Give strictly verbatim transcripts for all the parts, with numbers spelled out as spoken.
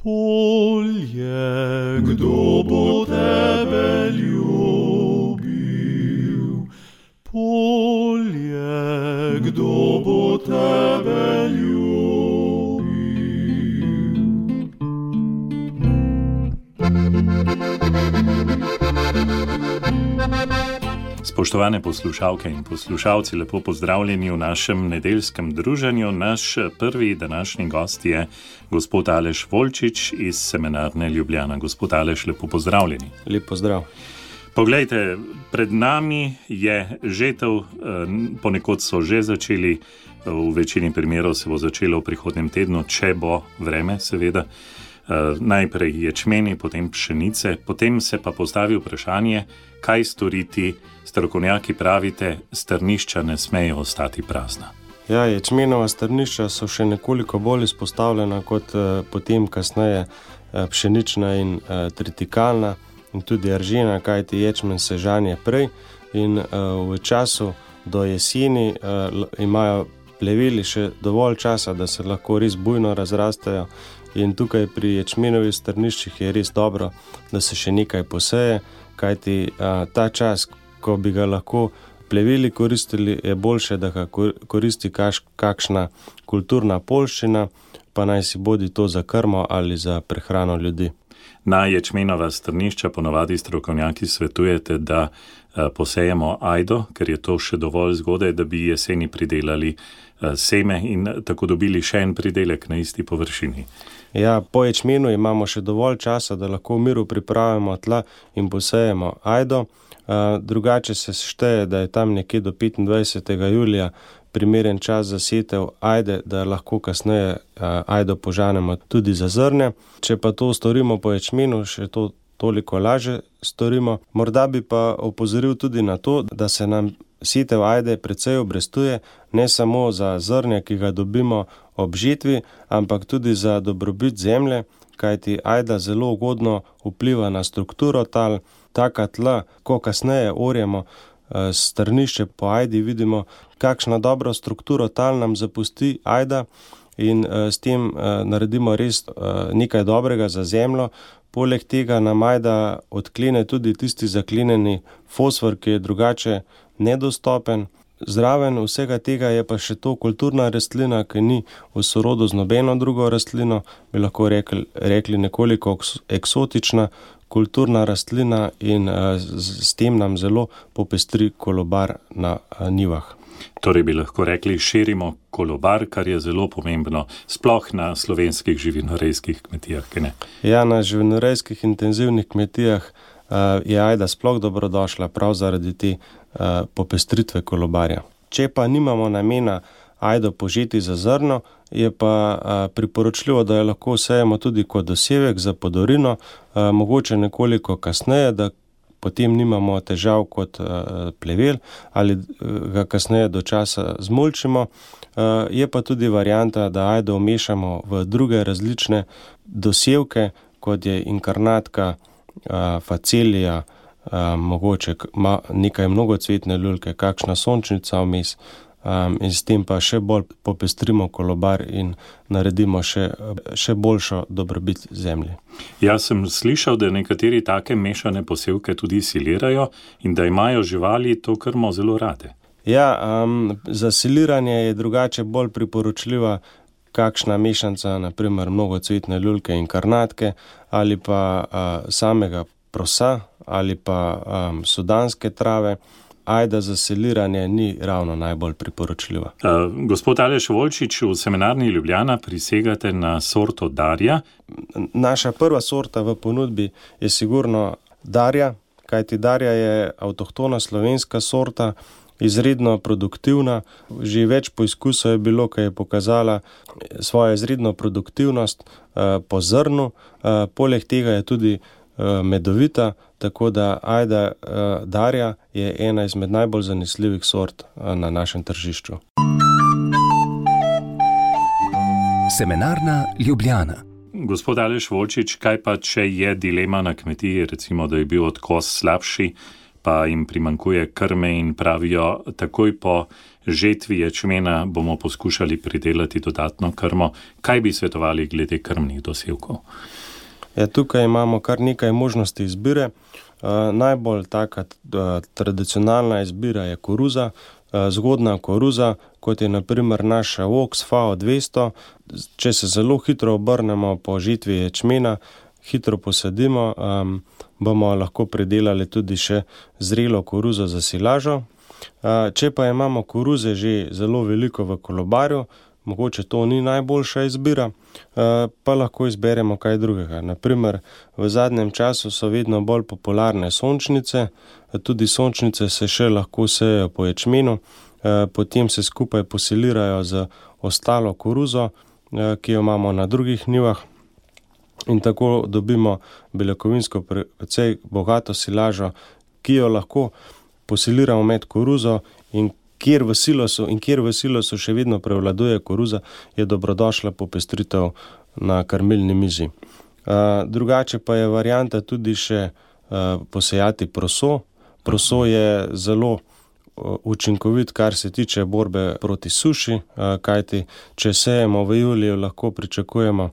Polje, kdo bo tebe ljubil? Polje, kdo bo tebe ljubil? Spoštovane poslušalke in poslušalci, lepo pozdravljeni v našem nedeljskem druženju. Naš prvi današnji gost je gospod Aleš Volčič iz Semenarne Ljubljana. Gospod Aleš, lepo pozdravljeni. Lep pozdrav. Poglejte, pred nami je žetev, ponekod so že začeli, v večini primerov se bo začelo v prihodnjem tednu, če bo vreme, seveda. Najprej ječmeni, potem pšenice, potem se pa postavi vprašanje, kaj storiti. Strokovnjaki pravite, strnišča ne smejo ostati prazna. Ja, ječmenova strnišča so še nekoliko bolj izpostavljena kot eh, potem kasneje eh, pšenična in eh, tritikalna in tudi aržina, kajti ječmen se žanje prej in eh, v času do jeseni eh, imajo pleveli še dovolj časa, da se lahko res bujno razrastejo. In tukaj pri ječmenovih strniščih je res dobro, da se še nekaj poseje, kajti a, ta čas, ko bi ga lahko pleveli koristili, je boljše, da ga koristi kaš, kakšna kulturna poljščina, pa naj si bodi to za krmo ali za prehrano ljudi. Na ječmenova strnišča ponovadi strokovnjaki svetujete, da a, posejemo ajdo, ker je to še dovolj zgodaj, da bi jeseni pridelali a, seme in tako dobili še en pridelek na isti površini. Ja, po ječmenu imamo še dovolj časa, da lahko v miru pripravimo tla in posejemo ajdo. Drugače se šteje, da je tam nekje do petindvajsetega julija primeren čas za setev ajde, da lahko kasneje ajdo požanemo tudi za zrnje. Če pa to storimo po ječmenu, še to toliko lažje storimo. Morda bi pa opozoril tudi na to, da se nam setev ajde precej obrestuje, ne samo za zrnje, ki ga dobimo ob žetvi, ampak tudi za dobrobit zemlje, kajti ajda zelo ugodno vpliva na strukturo tal. Taka tla, ko kasneje orjemo strnišče po ajdi, vidimo, kakšna dobra strukturo tal nam zapusti ajda in s tem naredimo res nekaj dobrega za zemljo. Poleg tega nam ajda odklene tudi tisti zaklenjeni fosfor, ki je drugače nedostopen. Zraven vsega tega je pa še to kulturna rastlina, ki ni v sorodu z nobeno drugo rastlino, bi lahko rekli, rekli nekoliko eksotična kulturna rastlina in z, s tem nam zelo popestri kolobar na njivah. Torej bi lahko rekli, širimo kolobar, kar je zelo pomembno, sploh na slovenskih živinorejskih kmetijah, ki ne? Ja, na živinorejskih intenzivnih kmetijah je ajda sploh dobrodošla prav zaradi te popestritve kolobarja. Če pa nimamo namena ajdo požeti za zrno, je pa priporočljivo, da jo lahko sejemo tudi kot dosevek za podorino, mogoče nekoliko kasneje, da potem nimamo težav kot plevel ali ga kasneje do časa zmulčimo. Je pa tudi varianta, da ajdo vmešamo v druge različne dosevke, kot je inkarnatka, facelija, mogoče nekaj mnogocvetne lulke, kakšna sončnica vmes. Um, in s tem pa še bolj popestrimo kolobar in naredimo še, še boljšo dobrobit zemlji. Jaz sem slišal, da nekateri take mešane posevke tudi silirajo in da imajo živali to krmo zelo rade. Ja, um, za siliranje je drugače bolj priporočljiva kakšna mešanca, naprimer mnogocvetne lulke in karnatke ali pa uh, samega prosa ali pa um, sudanske trave. Ajda za siliranje ni ravno najbolj priporočljiva. Uh, gospod Aleš Volčič, v Semenarni Ljubljana prisegate na sorto Darja. Naša prva sorta v ponudbi je sigurno Darja, kajti Darja je avtohtona slovenska sorta, izredno produktivna. Že več poizkusov je bilo, ki je pokazala svojo izredno produktivnost uh, po zrnu. Uh, poleg tega je tudi uh, medovita, tako da ajda uh, Darja je ena izmed najbolj zanesljivih sort uh, na našem tržišču. Semenarna Ljubljana. Gospod Aleš Volčič, kaj pa, če je dilema na kmetiji, recimo, da je bil odkos slabši, pa jim primanjkuje krme in pravijo, takoj po žetvi ječmena bomo poskušali pridelati dodatno krmo. Kaj bi svetovali glede krmnih dosevkov? Ja, tukaj imamo kar nekaj možnosti izbire. Uh, najbolj taka uh, tradicionalna izbira je koruza, uh, zgodna koruza, kot je na primer naša Vox F A O dvesto. Če se zelo hitro obrnemo po žetvi ječmena, hitro posadimo, um, bomo lahko pridelali tudi še zrelo koruzo za silažo. Uh, če pa imamo koruze že zelo veliko v kolobarju, mogoče to ni najboljša izbira, pa lahko izberemo kaj drugega. Naprimer, v zadnjem času so vedno bolj popularne sončnice, tudi sončnice se še lahko sejejo po ječmenu, potem se skupaj posilirajo z ostalo koruzo, ki jo imamo na drugih njivah, in tako dobimo beljakovinsko precej bogato silažo, ki jo lahko posiliramo med koruzo, in Kjer v silosu in kjer v silosu še vedno prevladuje koruza, je dobrodošla popestritev na krmilni mizi. Uh, drugače pa je varianta tudi še uh, posejati proso. Proso je zelo uh, učinkovit, kar se tiče borbe proti suši, uh, kajti če sejemo v juliju, lahko pričakujemo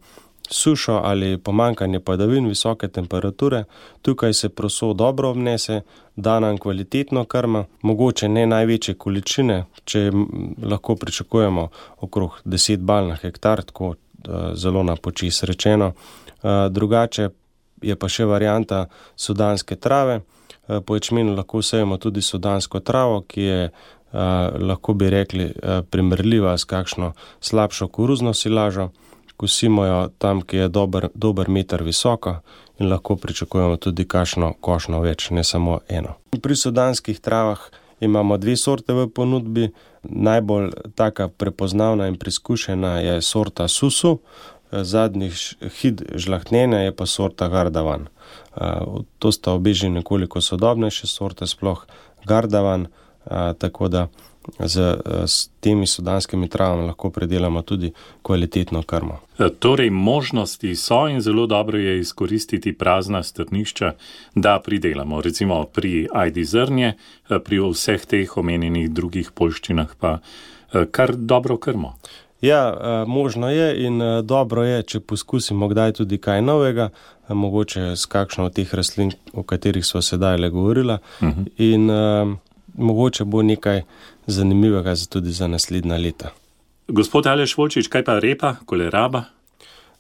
sušo ali pomanjkanje padavin, visoke temperature. Tukaj se proso dobro obnese, da nam kvalitetno krma, mogoče ne največje količine, če lahko pričakujemo okrog deset bal na hektar, tako zelo na počis rečeno. Drugače je pa še varianta sudanske trave. Po ječmenu lahko sejemo tudi sudansko travo, ki je lahko bi rekli primerljiva s kakšno slabšo koruzno silažo. Kosimo jo tam, ki je dober, dober meter visoko, in lahko pričakujemo tudi kakšno košnjo več, ne samo eno. Pri sudanskih travah imamo dve sorte v ponudbi. Najbolj taka prepoznavna in preizkušena je sorta Susu, zadnjih hit žlahtnjenja je pa sorta Gardavan. To sta obe že nekoliko sodobnejše sorte, sploh Gardavan, tako da Z, z temi sudanskimi travami lahko pridelamo tudi kvalitetno krmo. Torej, možnosti so in zelo dobro je izkoristiti prazna strnišča, da pridelamo. Recimo pri ajdi zrnje, pri vseh teh omenjenih drugih poljščinah pa kar dobro krmo. Ja, možno je in dobro je, če poskusimo kdaj tudi kaj novega, mogoče s kakšno od teh rastlin, o katerih smo sedaj le govorila, uh-huh. in uh, mogoče bo nekaj zanimivega tudi za naslednja leta. Gospod Aleš Volčič, kaj pa repa, koleraba?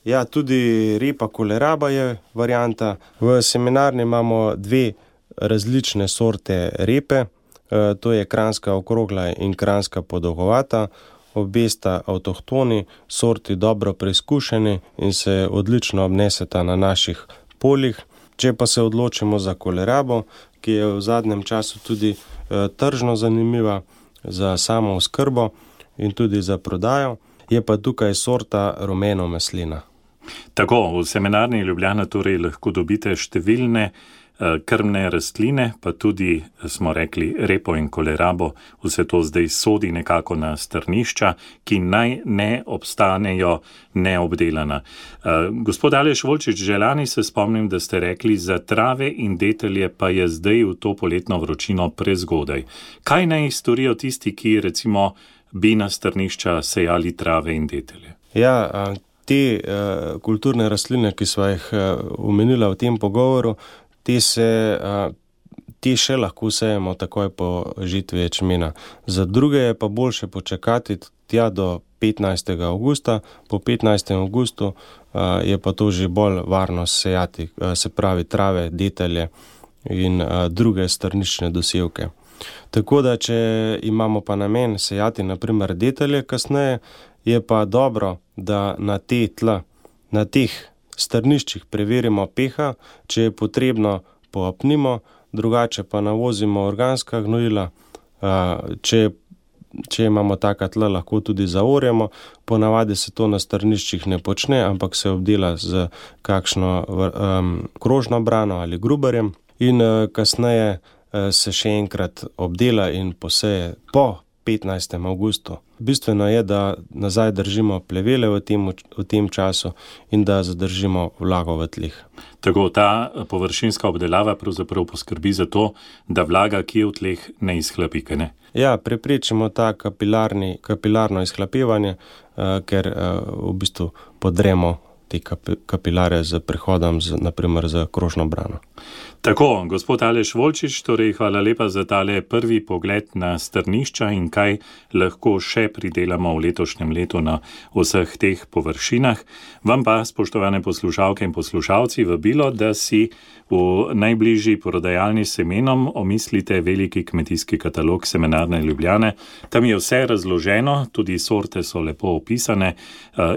Ja, tudi repa koleraba je varianta. V seminarni imamo dve različne sorte repe, e, to je kranjska okrogla in kranjska podolgovata. Obe sta avtohtoni, sorti dobro preizkušeni in se odlično obneseta na naših poljih. Če pa se odločimo za kolerabo, ki je v zadnjem času tudi e, tržno zanimiva, za samo oskrbo in tudi za prodajo, je pa tukaj sorta rumeno maslina. Tako, v seminarni Ljubljana torej lahko dobite številne uh, krmne rastline, pa tudi, smo rekli, repo in kolerabo, vse to zdaj sodi nekako na strnišča, ki naj ne obstanejo neobdelana. Uh, gospod Aleš Volčič, že lani se spomnim, da ste rekli, za trave in detelje pa je zdaj v to poletno vročino prezgodaj. Kaj naj storijo tisti, ki recimo bi na strnišča sejali trave in detelje? Ja, te uh, kulturne rastline, ki sva jih uh, omenila v tem pogovoru, te, se, uh, te še lahko sejemo takoj po žetvi ječmena. Za druge je pa boljše počakati tja do petnajstega avgusta. Po petnajstem avgustu uh, je pa to že bolj varno sejati, uh, se pravi trave, detelje in uh, druge strnične dosevke. Tako da, če imamo pa namen sejati naprimer detelje kasneje, je pa dobro, da na te tla, na teh strniščih preverimo pH, če je potrebno poapnimo, drugače pa navozimo organska gnojila, če, če imamo taka tla, lahko tudi zaorjamo. Ponavadi se to na strniščih ne počne, ampak se obdela z kakšno um, krožno brano ali gruberjem in uh, kasneje uh, se še enkrat obdela in poseje po petnajstem avgustu. Bistveno je, da nazaj držimo plevele v tem, v tem času in da zadržimo vlago v tleh. Tako ta površinska obdelava pravzaprav poskrbi za to, da vlaga, ki je v tleh, ne izhlapi, kaj ne? Ja, preprečimo ta kapilarni, kapilarno izhlapevanje, uh, ker uh, v bistvu podremo te kapilare z prehodom, z, naprimer z krožno brano. Tako, gospod Aleš Volčič, torej hvala lepa za tale prvi pogled na strnišča in kaj lahko še pridelamo v letošnjem letu na vseh teh površinah. Vam pa, spoštovane poslušalke in poslušalci, vabilo, da si v najbližji prodajalni s semenom omislite veliki kmetijski katalog Semenarne Ljubljane. Tam je vse razloženo, tudi sorte so lepo opisane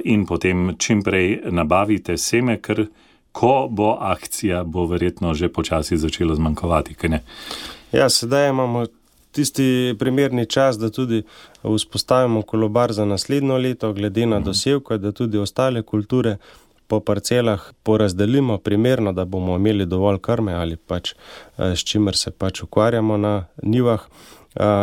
in potem čimprej nabavite seme, ker ko bo akcija, bo verjetno že počasi začelo zmanjkovati, kaj ne? Ja, sedaj imamo tisti primerni čas, da tudi vzpostavimo kolobar za naslednjo leto, glede na dosevko, da tudi ostale kulture po parcelah porazdelimo primerno, da bomo imeli dovolj krme ali pač s čimer se pač ukvarjamo na njivah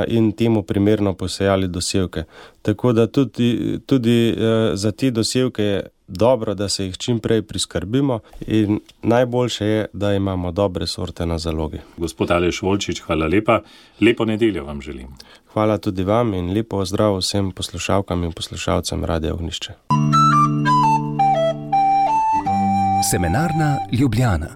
in temu primerno posejali dosevke. Tako da tudi, tudi za te dosevke je dobro, da se jih čim prej priskrbimo in najboljše je, da imamo dobre sorte na zalogi. Gospod Aleš Volčič, hvala lepa. Lepo nedeljo vam želim. Hvala tudi vam in lepo zdrav vsem poslušalkam in poslušalcem Radia Ognjišče. Semenarna Ljubljana.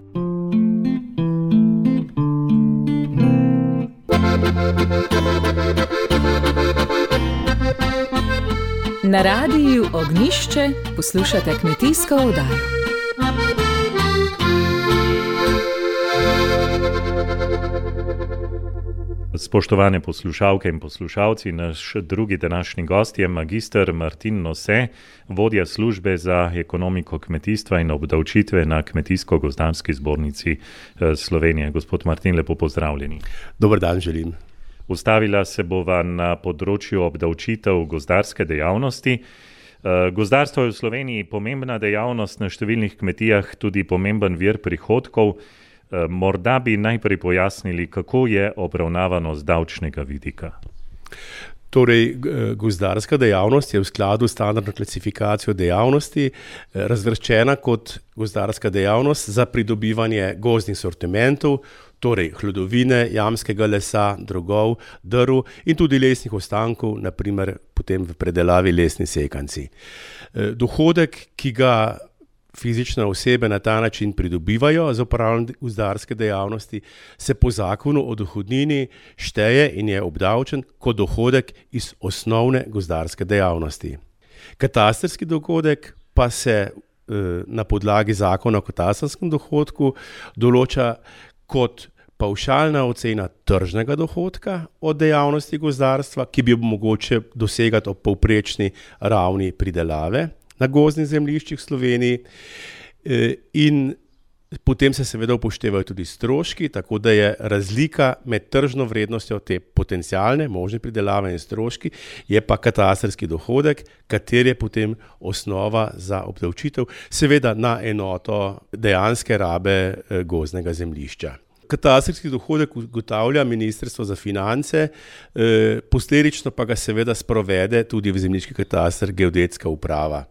Na Radiju Ognjišče poslušate kmetijsko oddajo. Spoštovane poslušalke in poslušalci, naš drugi današnji gost je magister Martin Nose, vodja službe za ekonomiko kmetijstva in obdavčitve na Kmetijsko-gozdarski zbornici Slovenije. Gospod Martin, lepo pozdravljeni. Dober dan želim. Ustavila se bova na področju obdavčitev gozdarske dejavnosti. Gozdarstvo je v Sloveniji pomembna dejavnost, na številnih kmetijah tudi pomemben vir prihodkov. Morda bi najprej pojasnili, kako je obravnavano z davčnega vidika. Torej, gozdarska dejavnost je v skladu s standardno klasifikacijo dejavnosti razvrščena kot gozdarska dejavnost za pridobivanje gozdnih sortimentov, torej hlodovine, jamskega lesa, drogov, drv in tudi lesnih ostankov, naprimer potem v predelavi lesni sekanci. Dohodek, ki ga fizične osebe na ta način pridobivajo za opravljanje gozdarske dejavnosti, se po zakonu o dohodnini šteje in je obdavčen kot dohodek iz osnovne gozdarske dejavnosti. Katastrski dohodek pa se na podlagi zakona o katastrskem dohodku določa kot pavšalna ocena tržnega dohodka od dejavnosti gozdarstva, ki bi mogoče dosegati ob povprečni ravni pridelave na gozdnih zemljiščih v Sloveniji, in potem se seveda upoštevajo tudi stroški, tako da je razlika med tržno vrednostjo te potencialne možne pridelave in stroški, je pa katastrski dohodek, kater je potem osnova za obdavčitev, seveda na enoto dejanske rabe gozdnega zemljišča. Katastrski dohodek ugotavlja Ministrstvo za finance, posledično pa ga seveda sprovede tudi v zemljiški kataster geodetska uprava.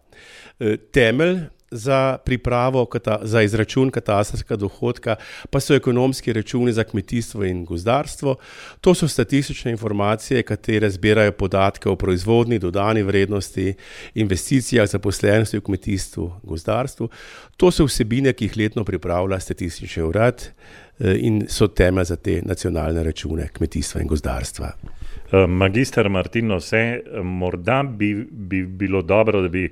Temelj za pripravo, za izračun katastrskega dohodka pa so ekonomski računi za kmetijstvo in gozdarstvo. To so statistične informacije, katere zbirajo podatke o proizvodni, dodani vrednosti, investicijah, zaposlenosti v kmetijstvu, gozdarstvu. To so vsebine, ki jih letno pripravlja statistični urad in so temelj za te nacionalne račune kmetijstva in gozdarstva. Magister Martin Nose, morda bi, bi bilo dobro, da bi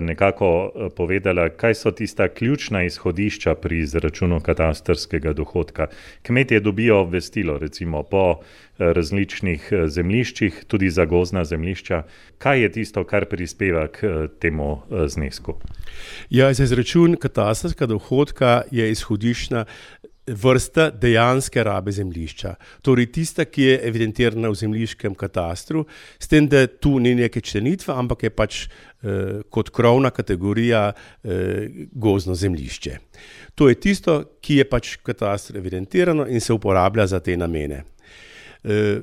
nekako povedala, kaj so tista ključna izhodišča pri izračunu katastrskega dohodka. Kmetje dobijo obvestilo, recimo po različnih zemljiščih, tudi za gozdna zemljišča. Kaj je tisto, kar prispeva k temu znesku? Ja, za izračun katastrskega dohodka je izhodiščna vrsta dejanske rabe zemljišča. Torej tista, ki je evidentirana v zemljiškem katastru, s tem, da tu ni neke členitve, ampak je pač eh, kot krovna kategorija eh, gozdno zemljišče. To je tisto, ki je pač v katastru evidentirano in se uporablja za te namene.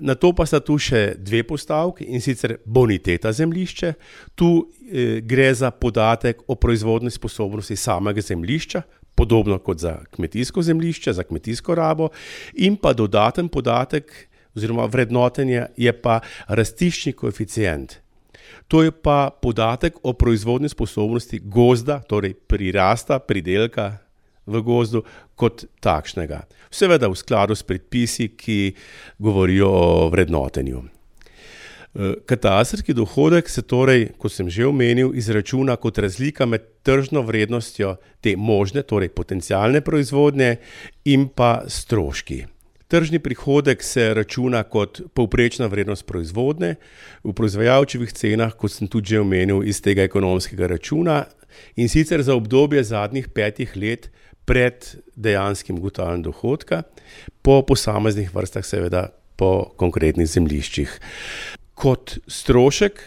Na to pa sta tu še dve postavki, in sicer boniteta zemljišča. Tu gre za podatek o proizvodni sposobnosti samega zemljišča, podobno kot za kmetijsko zemljišče, za kmetijsko rabo, in pa dodaten podatek oziroma vrednotenje je pa rastiščni koeficient. To je pa podatek o proizvodni sposobnosti gozda, torej prirasta, pridelka v gozdu kot takšnega. Seveda v skladu s predpisi, ki govorijo o vrednotenju. Katastrski dohodek se torej, kot sem že omenil, izračuna kot razlika med tržno vrednostjo te možne, torej potencialne proizvodnje in pa stroški. Tržni prihodek se računa kot povprečna vrednost proizvodnje v proizvajalčevih cenah, kot sem tudi že omenil, iz tega ekonomskega računa, in sicer za obdobje zadnjih petih let pred dejanskim ugotavljanjem dohodka, po posameznih vrstah, seveda po konkretnih zemljiščih. Kot strošek,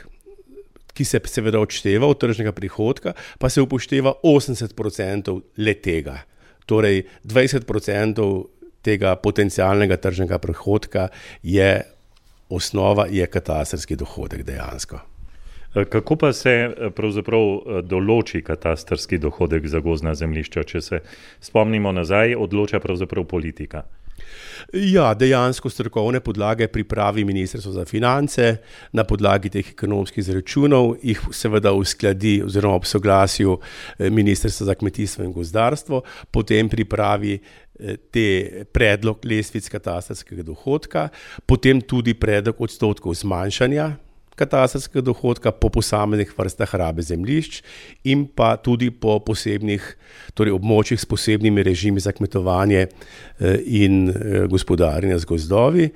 ki se seveda odšteva od tržnega prihodka, pa se upošteva osemdeset procentov le tega. Torej dvajset procentov tega potencialnega tržnega prihodka je osnova, je katastrski dohodek dejansko. Kako pa se pravzaprav določi katastrski dohodek za gozdna zemljišča? Če se spomnimo nazaj, odloča pravzaprav politika. Ja, dejansko strokovne podlage pripravi Ministrstvo za finance, na podlagi teh ekonomskih izračunov jih seveda uskladi oziroma ob soglasju Ministrstva za kmetijstvo in gozdarstvo, potem pripravi te predlog lestvic katastrskega dohodka, potem tudi predlog odstotkov zmanjšanja katastrskega dohodka po posameznih vrstah rabe zemljišč in pa tudi po posebnih, torej območjih s posebnimi režimi za kmetovanje in gospodarjenje z gozdovi.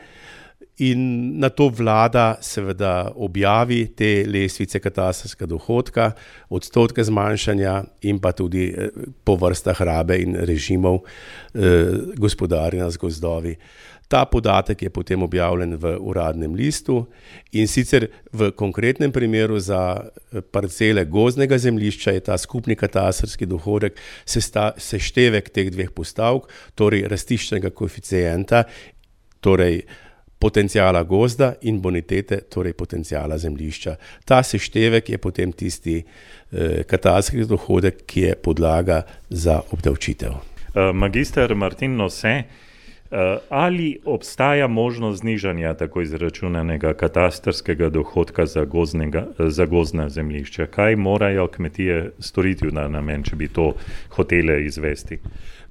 In na to vlada seveda objavi te lestvice katastrskega dohodka, odstotke zmanjšanja in pa tudi po vrstah rabe in režimov gospodarjenja z gozdovi. Ta podatek je potem objavljen v uradnem listu in sicer v konkretnem primeru za parcele gozdnega zemljišča je ta skupni katastrski dohodek seštevek teh dveh postavk, torej rastiščnega koeficienta, torej potencijala gozda in bonitete, torej potencijala zemljišča. Ta seštevek je potem tisti eh, katastrski dohodek, ki je podlaga za obdavčitev. Magister Martin Nose, ali obstaja možnost znižanja tako izračunanega katastrskega dohodka za, gozdnega, za gozdna zemljišča? Kaj morajo kmetije storiti na namen, če bi to hotele izvesti?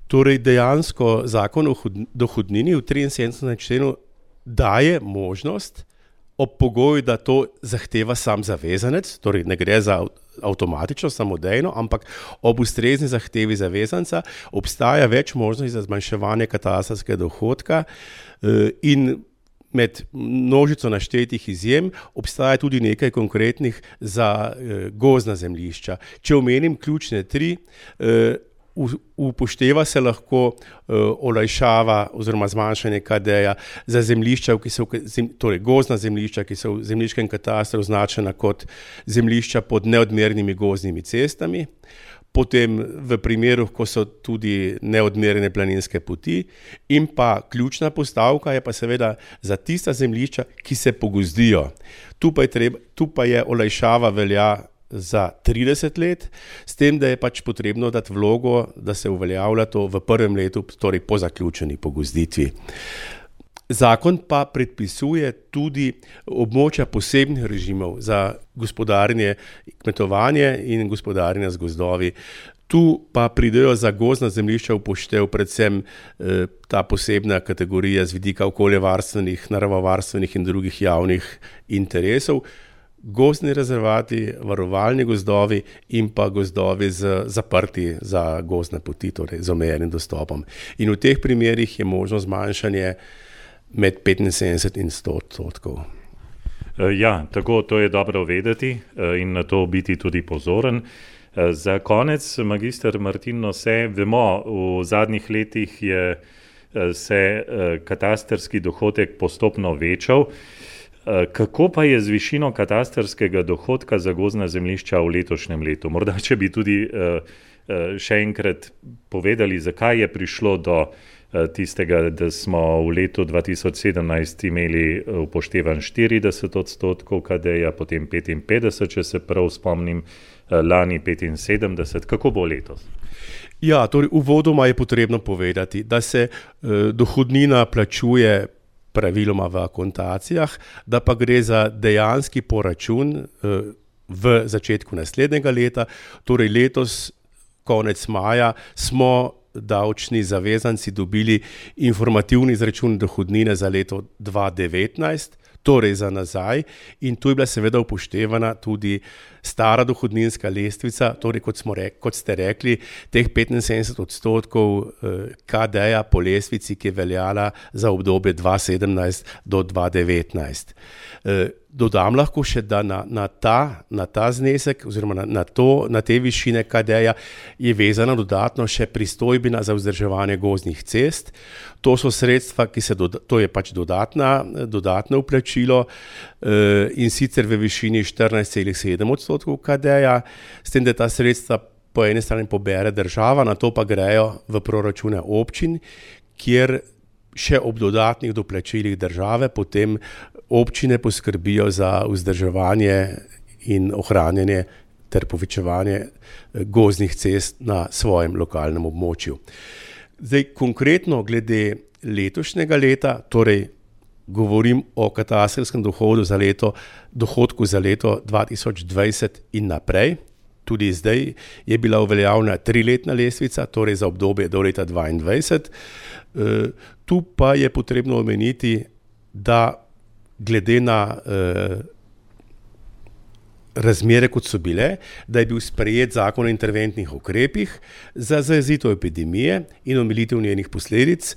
Torej dejansko zakon o dohodnini v triinsedemdesetem členu daje možnost ob pogoju, da to zahteva sam zavezanec, torej ne gre za avtomatično, samodejno, ampak ob ustrezni zahtevi zavezanca obstaja več možnosti za zmanjševanje katastrskega dohodka in med množico naštetih izjem obstaja tudi nekaj konkretnih za gozdna zemljišča. Če omenim ključne tri, upošteva se lahko uh, olajšava oziroma zmanjšanje K D-ja za zemljišča, ki so, torej gozdna zemljišča, ki so v zemljiškem katastru označena kot zemljišča pod neodmernimi gozdnimi cestami, potem v primeru, ko so tudi neodmerene planinske poti, in pa ključna postavka je pa seveda za tista zemljišča, ki se pogozdijo. Tu pa je, treba, tu pa je olajšava velja za trideset let, s tem, da je pač potrebno dati vlogo, da se uveljavlja to v prvem letu, torej po zaključeni pogozditvi. Zakon pa predpisuje tudi območja posebnih režimov za gospodarjenje, kmetovanje in gospodarjenje z gozdovi. Tu pa pridejo za gozdna zemljišča upoštev predvsem eh, ta posebna kategorija z vidika okoljevarstvenih, naravovarstvenih in drugih javnih interesov, gozdni rezervati, varovalni gozdovi in pa gozdovi z, zaprti za gozdne poti, torej z omejenim dostopom. In v teh primerih je možno zmanjšanje med petinsedemdeset in sto odstotkov. Ja, tako to je dobro vedeti in na to biti tudi pozoren. Za konec, magister Martin Nose, vemo, v zadnjih letih je se katastrski dohodek postopno večal. Kako pa je z višino katastrskega dohodka za gozdna zemljišča v letošnjem letu? Morda, če bi tudi še enkrat povedali, zakaj je prišlo do tistega, da smo v letu dva tisoč sedemnajst imeli upoštevan štirideset odstotkov K D-ja, potem petinpetdeset, če se prav spomnim, lani petinsedemdeset. Kako bo letos? Ja, torej uvodoma je potrebno povedati, da se eh, dohodnina plačuje praviloma v akontacijah, da pa gre za dejanski poračun eh, v začetku naslednjega leta, torej letos, konec maja, smo davčni zavezanci dobili informativni izračun dohodnine za leto dva tisoč devetnajst, torej za nazaj, in tu je bila seveda upoštevana tudi stara dohodninska lestvica, torej kot, smo rek, kot ste rekli, teh petinsedemdeset odstotkov K D-ja po lestvici, ki je veljala za obdobje dva tisoč sedemnajst do dva tisoč devetnajst. Dodam lahko še, da na, na, ta, na ta znesek oziroma na, na, to, na te višine K D-ja je vezana dodatno še pristojbina za vzdrževanje gozdnih cest. To so sredstva, ki se doda, to je pač dodatna, dodatno vplačilo eh, in sicer v višini štirinajst celih sedem odstotkov K D-ja, s tem, da ta sredstva po eni strani pobere država, na to pa grejo v proračune občin, kjer še ob dodatnih doplačilih države potem občine poskrbijo za vzdrževanje in ohranjanje ter povečevanje gozdnih cest na svojem lokalnem območju. Zdaj, konkretno glede letošnjega leta, torej govorim o katastrskem dohodu za leto, dohodku za leto dva tisoč dvajset in naprej. Tudi zdaj je bila uveljavljena triletna lestvica, torej za obdobje do leta dvaindvajset. E, tu pa je potrebno omeniti, da glede na e, razmere, kot so bile, da je bil sprejet zakon o interventnih ukrepih za zajezitev epidemije in omilitev njenih posledic,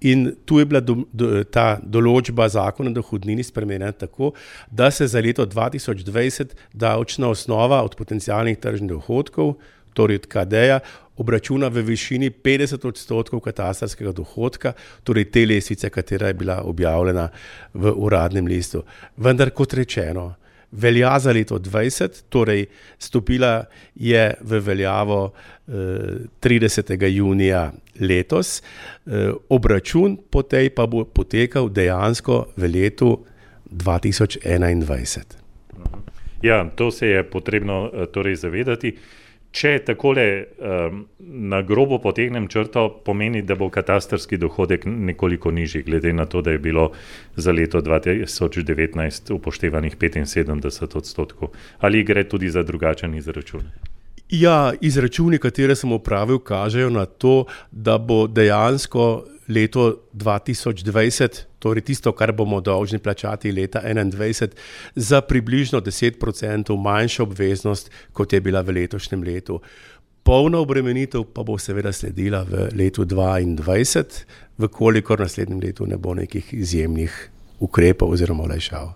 in tu je bila do, do, ta določba zakona o dohodnini spremenjena tako, da se za leto dva tisoč dvajset davčna osnova od potencialnih tržnih dohodkov, torej od K D-ja, obračuna v višini petdeset odstotkov katastrskega dohodka, torej te lestvice, katera je bila objavljena v uradnem listu. Vendar, kot rečeno, velja za leto dvajset, torej stopila je v veljavo eh, tridesetega junija letos, eh, obračun po tej pa bo potekal dejansko v letu dva tisoč enaindvajset. Ja, to se je potrebno torej zavedati. Če takole um, na grobo potegnem črto, pomeni, da bo katastrski dohodek nekoliko nižji, glede na to, da je bilo za leto dva tisoč devetnajst upoštevanih petinsedemdeset odstotkov. Ali gre tudi za drugačen izračun? Ja, izračuni, katere sem opravil, kažejo na to, da bo dejansko leto dva tisoč dvajset, torej tisto, kar bomo dolžni plačati leta enaindvajset, za približno deset procentov manjša obveznost, kot je bila v letošnjem letu. Polna obremenitev pa bo seveda sledila v letu dvaindvajset, vkolikor naslednjem letu ne bo nekih izjemnih ukrepov oziroma olajšav.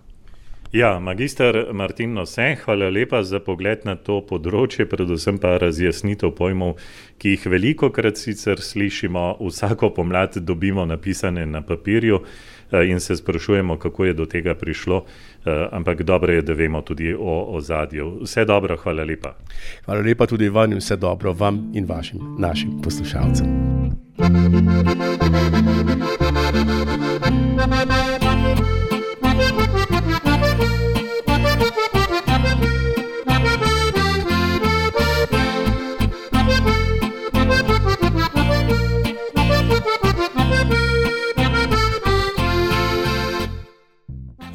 Ja, magister Martin Nose, hvala lepa za pogled na to področje, predvsem pa razjasnitev pojmov, ki jih velikokrat sicer slišimo, vsako pomlad dobimo napisane na papirju in se sprašujemo, kako je do tega prišlo, ampak dobro je, da vemo tudi o ozadju. Vse dobro, hvala lepa. Hvala lepa tudi vam in vse dobro vam in vašim, našim poslušalcem.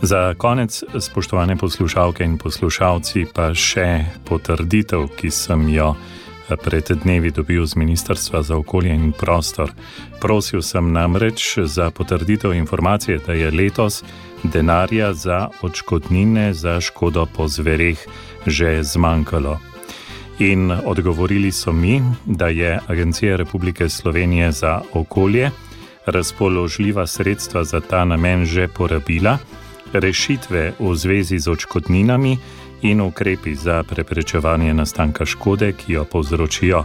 Za konec, spoštovane poslušalke in poslušalci, pa še potrditev, ki sem jo pred dnevi dobil z Ministrstva za okolje in prostor. Prosil sem namreč za potrditev informacije, da je letos denarja za odškodnine za škodo po zvereh že zmanjkalo. In odgovorili so mi, da je Agencija Republike Slovenije za okolje razpoložljiva sredstva za ta namen že porabila, rešitve v zvezi z odškodninami in ukrepi za preprečevanje nastanka škode, ki jo povzročijo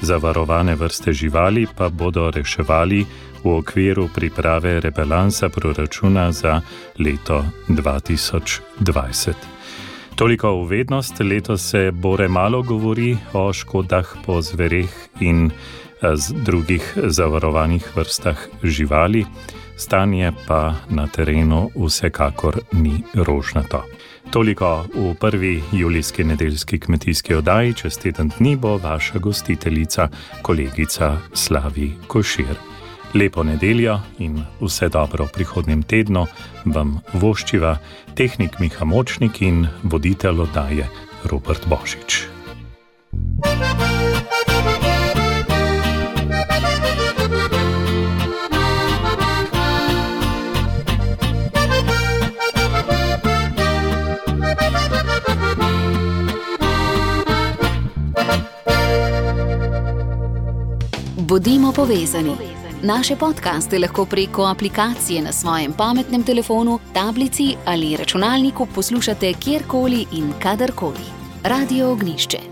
zavarovane vrste živali, pa bodo reševali v okviru priprave rebalansa proračuna za leto dva tisoč dvajset. Toliko v vednost, letos se bore malo govori o škodah po zvereh in z drugih zavarovanih vrstah živali, stanje pa na terenu vsekakor ni rožnato. Toliko v prvi julijski nedeljski kmetijski oddaji, čez teden dni bo vaša gostiteljica, kolegica Slavi Košir. Lepo nedeljo in vse dobro v prihodnjem tednu vam voščiva tehnik Miha Močnik in voditelj oddaje Robert Božič. Bodimo povezani. Naše podcaste lahko preko aplikacije na svojem pametnem telefonu, tablici ali računalniku poslušate kjerkoli in kadarkoli. Radio Ognjišče.